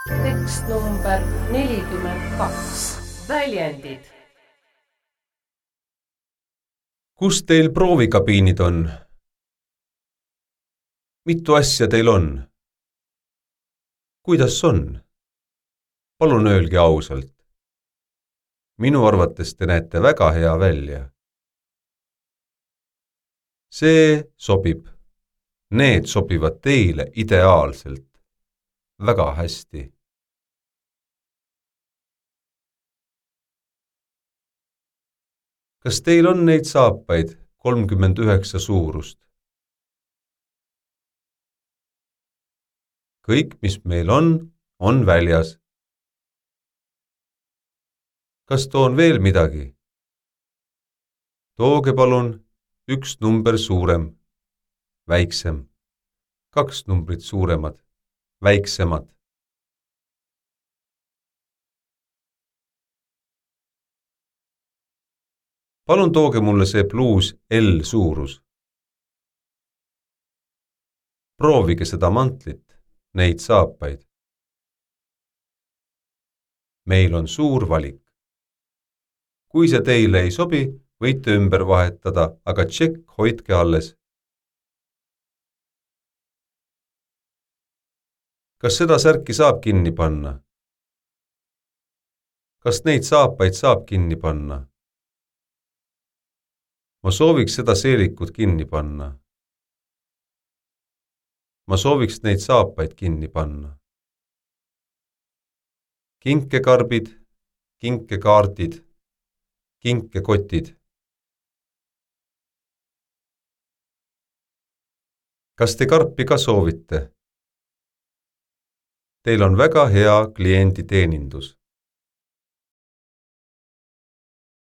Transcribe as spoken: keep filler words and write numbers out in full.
Tekst number nelikümmend kaks. Väljendid. Kus teil proovikabiinid on? Mitu asja teil on? Kuidas on? Palun öelge ausalt. Minu arvates te näete väga hea välja. See sobib. Need sobivad teile ideaalselt. Väga hästi. Kas teil on neid saapaid kolmkümmend üheksa suurust? Kõik, mis meil on, on väljas. Kas toon veel midagi? Tooge palun üks number suurem, väiksem, kaks numbrit suuremad, väiksemad. Palun tooge mulle see pluus L suurus. Proovige seda mantlit, neid saapaid. Meil on suur valik. Kui see teile ei sobi, võite ümber vahetada, aga tšekk hoidke alles. Kas seda särki saab kinni panna? Kas neid saapaid saab kinni panna? Ma sooviks seda seelikut kinni panna. Ma sooviks neid saapaid kinni panna. Kinkekarbid, kinkekaardid, kinkekotid. Kas te karpi ka soovite? Teil on väga hea klienditeenindus.